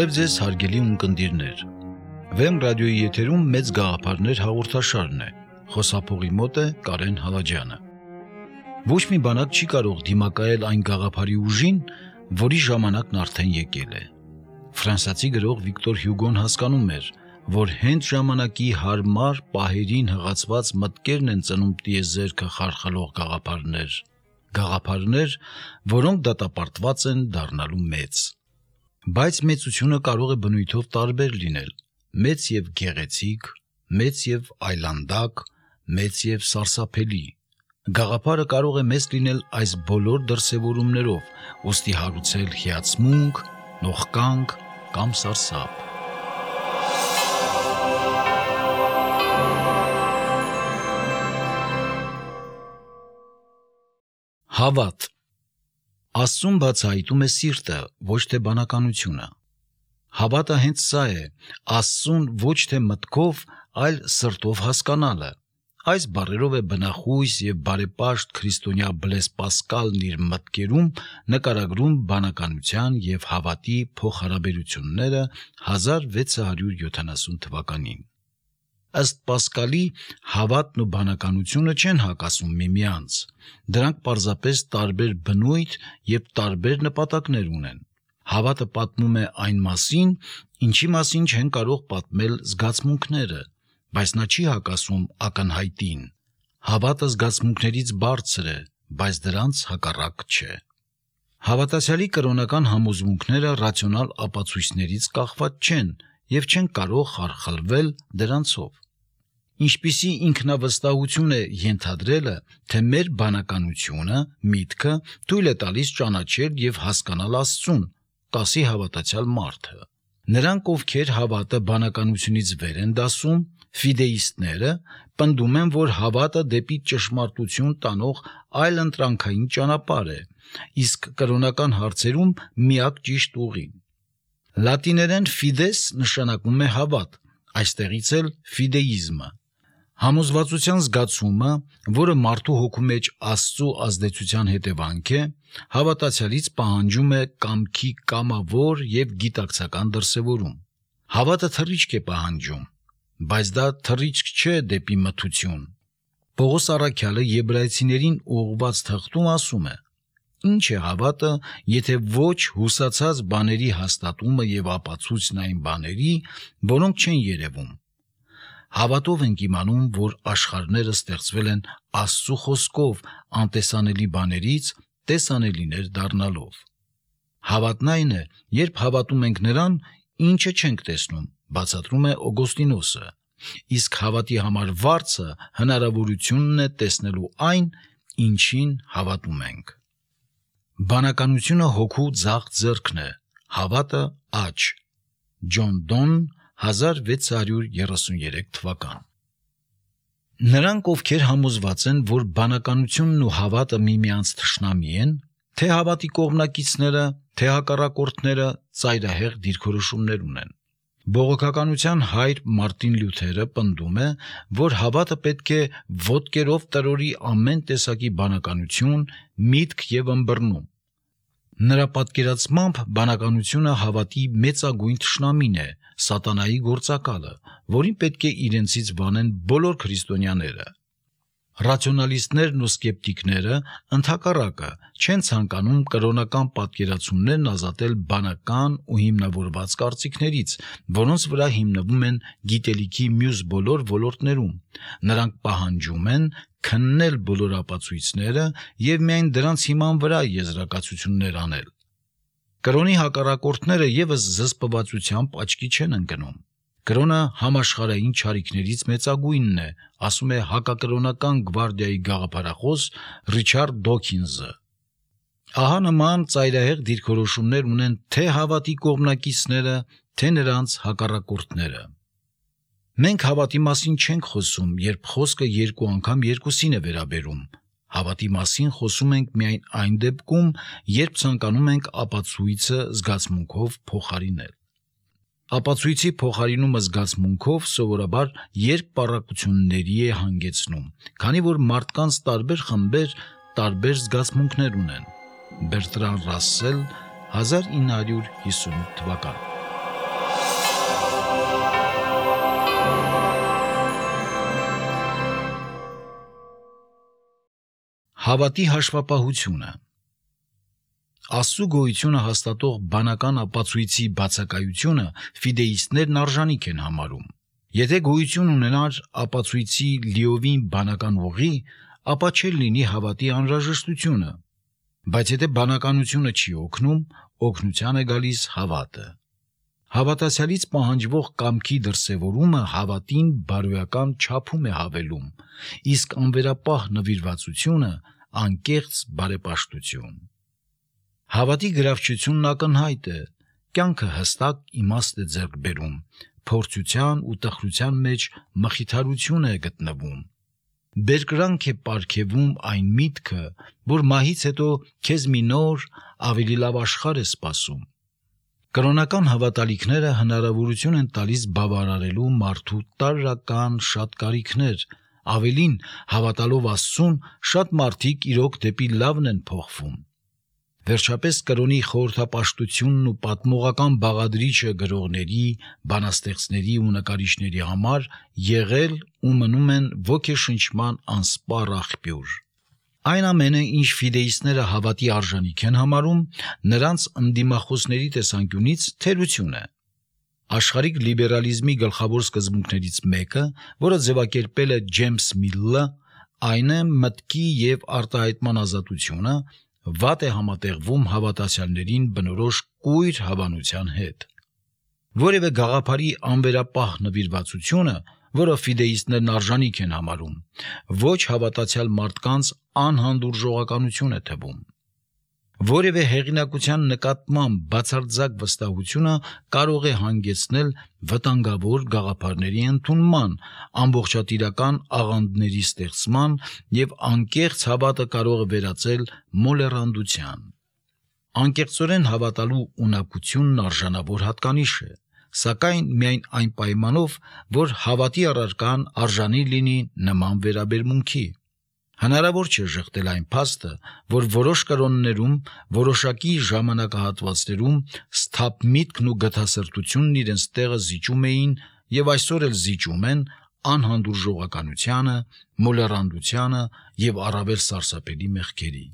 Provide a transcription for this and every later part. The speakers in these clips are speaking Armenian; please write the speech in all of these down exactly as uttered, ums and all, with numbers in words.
Բարև ձեզ հարգելի ունկնդիրներ։ Վեմ ռադիոյի եթերում մեծ գաղափարներ հաղորդաշարն է։ Խոսափողի մոտ է Կարեն Հալաջյանը։ Ոչ մի բանակ չի կարող դիմակայել այն գաղափարի ուժին, որի ժամանակն արդեն եկել է։ Ֆրանսիացի գրող Վիկտոր Հյուգոն հասկանում էր, որ հենց ժամանակի հարմար պահերին հղացված մտքերն են ծնում տիեզերքը խարխլող գաղափարներ, գաղափարներ, որոնք դատապարտված են դառնալու մեծ։ Բայց մեծությունը կարող է բնույթով տարբեր լինել՝ մեծ եւ գեղեցիկ, մեծ եւ այլանդակ, մեծ եւ սարսափելի։ Գաղափարը կարող է մեծ լինել այս բոլոր դրսևորումներով, ուստի հարուցել հիացմունք, նողկանք կամ սարսափ։ Հավատ։ Աստծուն բացահայտում է սիրտը, ոչ թե բանականությունը։ Հավատը հենց սա է, Աստծուն ոչ թե մտքով, այլ սրտով հասկանալը։ Այս բառերով է բնախույս եւ բարեպաշտ քրիստոնյա Բլես Պասկալն իր մտքերում նկարագրում բանականության եւ հավատի փոխհարաբերությունները հազար վեց հարյուր յոթանասուն թվականին։ Ըստ Պասկալի, հավատն ու բանականությունը չեն հակասում միմյանց, դրանք պարզապես տարբեր բնույթ եւ տարբեր նպատակներ ունեն։ Հավատը պատմում է այն մասին, ինչի մասին չեն կարող պատմել զգացմունքները, բայց նա չի հակասում ակնհայտին։ Հավատը զգացմունքներից բարձր է, բայց դրանց հակառակ չէ։ Հավատացյալի կրոնական համոզմունքները ռացիոնալ ապացույցներից կախված չեն եւ չեն կարող խարխլվել դրանցով։ Ինչպիսի ինքնավստահություն է ենթադրելը, թե մեր բանականությունը, միտքը թույլ է տալիս ճանաչել եւ հասկանալ Աստծուն, կասի հավատացյալ մարդը։ Նրանք, ովքեր հավատը բանականությունից վեր են դասում, ֆիդեիստները, պնդում են, որ հավատը դեպի ճշմարտություն տանող այլընտրանքային ճանապարհ է, իսկ կրոնական հարցերում միակ ճիշտ ուղին։ Լատիներեն fides նշանակում է հավատ, այստեղից էլ ֆիդեիզմը։ Համոզվածության զգացումը, որը մարդու հոգու մեջ Աստծո ազդեցության հետևանք է, հավատացյալից պահանջում է կամքի կամավոր եւ գիտակցական դրսևորում։ Հավատը թռիչք է պահանջում, բայց դա թռիչք չէ դեպի մթություն։ Պողոս առաքյալը Եբրայեցիներին ուղղված թղթում ասում է. «Ինչ է հավատը, եթե ոչ հուսացած բաների հաստատումը եւ ապացույցն այն բաների, որոնք չեն երևում։ Հավատով ենք իմանում, որ աշխարհները ստեղծվել են Աստծո խոսքով անտեսանելի բաներից տեսանելիներ դառնալով։ Հավատն այն է, երբ հավատում ենք նրան, ինչը չենք տեսնում», բացատրում է Օգոստինոսը, իսկ հավատի համար վարձը հնարավորությունն է տեսնելու այն, ինչին հավատում ենք։ Բանականությունը հոգու ձախ ձեռքն է, հավատը աջ։ Ջոն Դոն, հազար վեց հարյուր երեսուններեք թվական։ Նրանք, ովքեր համոզված են, որ բանականությունն ու հավատը միմյանց թշնամի են, թե հավատի կողմնակիցները, թե հակառակորդները ծայրահեղ դիրքորոշումներ ունեն։ Բողոքականության հայր Մարտին Լյութերը պնդում է, որ հավատը պետք է ոտքերով տրորի ամեն տեսակի բանականություն, միտք եւ ըմբռնում։ Նրա պատկերացմամբ բանականությունը հավատի մեծագույն թշնամին է, սատանայի գործակալը, որին պետք է իրենցից վանեն բոլոր քրիստոնյաները։ Ռացիոնալիստներն ու սկեպտիկները ընդհակառակը չեն ցանկանում կրոնական պատկերացումներն ազատել բանական ու հիմնավորված կարծիքներից, որոնց վրա հիմնվում են գիտելիքի մյուս բոլոր ոլորտներում։ Նրանք պահանջում են քննել բոլոր ապացույցները եւ միայն դրանց հիման վրա եզրակացություններ անել։ Կրոնի հակառակորդները եւս զսպվածությամբ աչքի չեն ընկնում։ Կրոնը համաշխարհային չարիքներից մեծագույնն է, ասում է հակակրոնական գվարդիայի գաղափարախոս Ռիչարդ Դոքինզը։ Ահա նման ծայրահեղ դիրքորոշումներ ունեն թե հավատի կողմնակիցները, թե նրանց հակառակորդները։ Մենք հավատի մասին չենք խոսում, երբ խոսքը երկու անգամ երկուսին է վերաբերում։ Հավատի մասին խոսում ենք միայն այն դեպքում, երբ ցանկանում ենք ապացույցը զգացմունքով փոխարինել։ Ապացույցի փոխարինումը զգացմունքով սովորաբար երկպառակությունների է հանգեցնում, քանի որ մարդկանց տարբեր խմբեր տարբեր զգացմունքներ ունեն։ Բերտրան Ռասսել, հազար ինը հարյուր հիսունութ թվական։ Հավատի հաշվապահությունը։ Աստծու գոյությունը հաստատող բանական ապացույցի բացակայությունը ֆիդեիստներն արժանիք են համարում։ Եթե գոյություն ունենար ապացույցի լիովին բանական ուղի, ապա չէր լինի հավատի անհրաժեշտությունը, բայց եթե բանականությունը չի օգնում, օգնության է գալիս հավատը։ Հավատացյալից պահանջվող կամքի դրսևորումը հավատին բարոյական չափում է հավելում, իսկ անվերապահ նվիրվածությունը անկեղծ բարեպաշտություն։ Հավատի գրավչությունն ակնհայտ է, կյանքը հստակ իմաստ է ձեռք բերում, փորձության ու տխրության մեջ մխիթարություն է գտնվում։ Բերկրանք է պարգևում այն միտքը, որ մահից հետո քեզ մի նոր, ավելի լավ աշխարհ է սպասում։ Կրոնական հավատալիքները հնարավորություն են տալիս բավարարելու մարդու տարրական շատ կարիքներ, ավելին, հավատալով Աստծուն, շատ մարդիկ իրոք դեպի լավն են փոխվում։ Վերջապես կրոնի խորհրդապաշտությունն ու պատմողական բաղադրիչը գրողների, բանաստեղծների ու նկարիչների համար եղել ու մնում են ոգեշնչման անսպառ աղբյուր։ Այն ամենը, ինչ ֆիդեիստները հավատի արժանիք են համարում, նրանց ընդդիմախոսների տեսանկյունից թերություն է։ Աշխարհիկ լիբերալիզմի գլխավոր սկզբունքներից մեկը, որը ձևակերպել է Ջեյմս Միլը, այն է մտքի և արտահայտման ազատությունը, վատ է համատեղվում հավատացյալներին բնորոշ կույր հավանության հետ։ Որևէ գաղափարի անվերապահ նվիրվածությունը, որը ֆիդեիստներն արժանիք են համարում, ոչ հավատացյալ մարդկանց անհանդուրժողականություն է թվում։ Որևէ հեղինակության նկատմամբ բացարձակ վստահությունը կարող է հանգեցնել վտանգավոր գաղափարների ընդունման, ամբողջատիրական աղանդների ստեղծման և անկեղծ հավատը կարող է վերածել մոլեռանդության։ Անկեղծորեն հավատալու ունակությունն արժանավոր հատկանիշ է, սակայն միայն այն պայմանով, որ հավատի առարկան արժանի լինի նման վերաբերմունքի։ Հնարավոր չէ ժխտել այն փաստը, որ որոշ կրոններում, որոշակի ժամանակահատվածներում սթափ միտքն ու գթասրտությունն իրենց տեղը զիջում էին և այսօր էլ զիջում են անհանդուրժողականությանը, մոլեռանդությանը և առավել սարսափելի մեղքերի։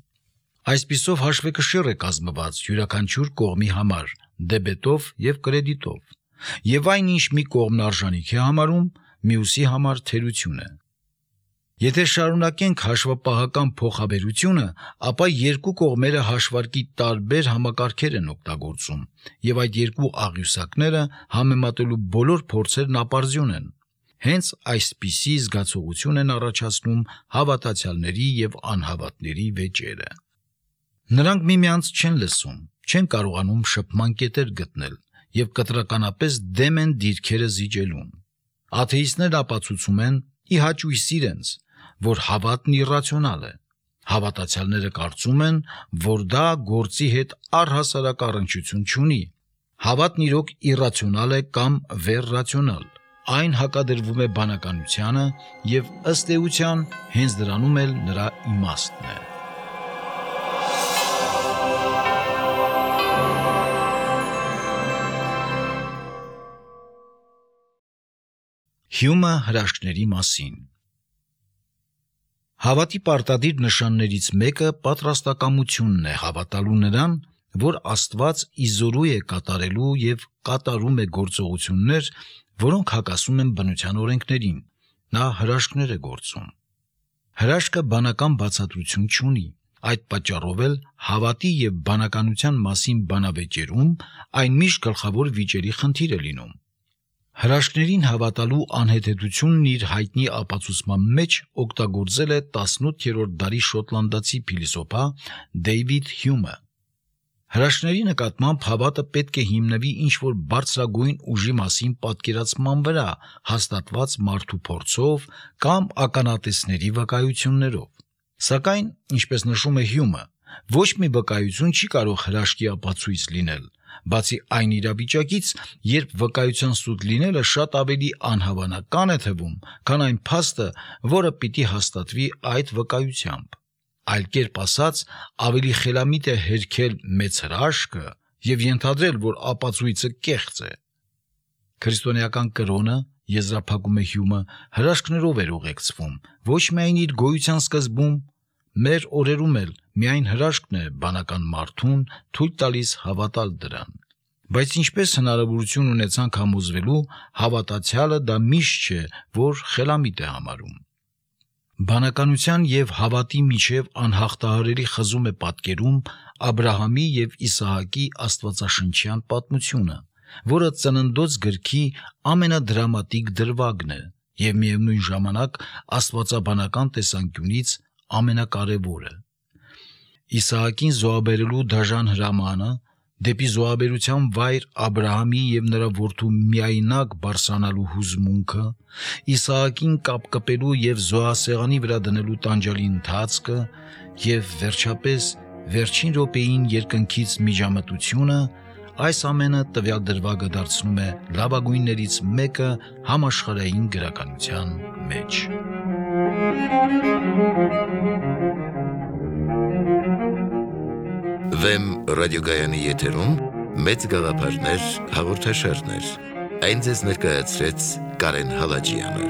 Այսպիսով հաշվեկշիռ է կազմված յուրաքանչյուր կողմի համար, դեբետով և կրեդիտով, և այն, ինչ մի կողմն արժանիք է համարում, մյուսի համար թերություն է։ Եթե շարունակենք հաշվապահական փոխաբերությունը, ապա երկու կողմերը հաշվարկի տարբեր համակարգեր են օգտագործում, և այդ երկու աղյուսակները համեմատելու բոլոր փորձերն ապարդյուն են։ Հենց այսպիսի զգացողություն են առաջացնում հավատացյալների և անհավատների վեճերը։ Նրանք միմյանց չեն լսում, չեն կարողանում շփման կետեր գտնել և կտրականապես դեմ են դիրքերը զիջելուն։ Աթեիստներն ապացուցում են, ի հաճույս իրենց, որ հավատն իռացիոնալ է։ Հավատացյալները կարծում են, որ դա գործի հետ առհասարակ առնչություն չունի։ Հավատն իրոք իռացիոնալ է կամ վերռացիոնալ։ Այն հակադրվում է բանականությանը և ըստ էության հենց դրանում էլ նրա իմաստն է։ Հյումը հրաշքների մասին։ Հավատի պարտադիր նշաններից մեկը պատրաստակամությունն է հավատալու նրան, որ Աստված իզորու է կատարելու և կատարում է գործողություններ, որոնք հակասում են բնության օրենքներին։ Նա հրաշքներ է գործում։ Հրաշքը բանական բացատրություն չունի, այդ պատճառով էլ հավատի և բանականության մասին բանավեճերում այն միշտ գլխավոր վիճելի խնդիր է լինում։ Հրաշքներին հավատալու անհեթեթությունն իր հայտնի ապացուցման մեջ օգտագործել է տասնութերորդ դարի շոտլանդացի փիլիսոփա Դեյվիդ Հյումը։ Հրաշքների նկատմամբ հավատը պետք է հիմնվի ինչ-որ բարձրագույն ուժի մասին պատկերացման վրա, հաստատված մարդու փորձով կամ ականատեսների վկայություններով։ Սակայն, ինչպես նշում է Հյումը, ոչ մի վկայություն չի կարող հրաշքի ապացույց լինել, բացի այն իրավիճակից, երբ վկայության սուտ լինելը շատ ավելի անհավանական է թվում, քան այն փաստը, որը պիտի հաստատվի այդ վկայությամբ։ Այլ կերպ ասած, ավելի խելամիտ է հերքել մեծ հրաշքը և ենթադրել, որ ապացույցը կեղծ է։ Քրիստոնեական կրոնը, եզրափակում է Հյումը, հրաշքներով էր ուղեկցվում, ոչ միայն իր գոյության սկզբում, Մեր օրերում էլ միայն հրաշքն է բանական մարդուն թույլ տալիս հավատալ դրան։ Բայց ինչպես հնարավորություն ունեցանք համոզվելու, հավատացյալը դա միշտ չէ, որ խելամիտ է համարում։ Բանականության և հավատի միջև անհաղթահարելի խզում է պատկերում Աբրահամի և Իսահակի աստվածաշնչյան պատմությունը, որը Ծննդոց գրքի ամենադրամատիկ դրվագն է և միևնույն ժամանակ աստվածաբանական տեսանկյունից ամենակարևորը։ Իսահակին զոհաբերելու դաժան հրամանը, դեպի զոհաբերության վայր Աբրահամի և նրա որդու միայնակ բարձրանալու հուզմունքը, Իսահակին կապկպելու և զոհասեղանի վրա դնելու տանջալի ընթացքը և վերջապես վերջին րոպեին երկնքից միջամտությունը, այս ամենը տվյալ դրվագը դարձնում է լավագույններից մեկը համաշխարհային գրականության մեջ։ Վեմ ռադիոգայանի եթերում մեծ գաղափարներ հաղորդաշարներ։ Այն ձեզ ներկայացրեց Կարեն Հալաջյանը։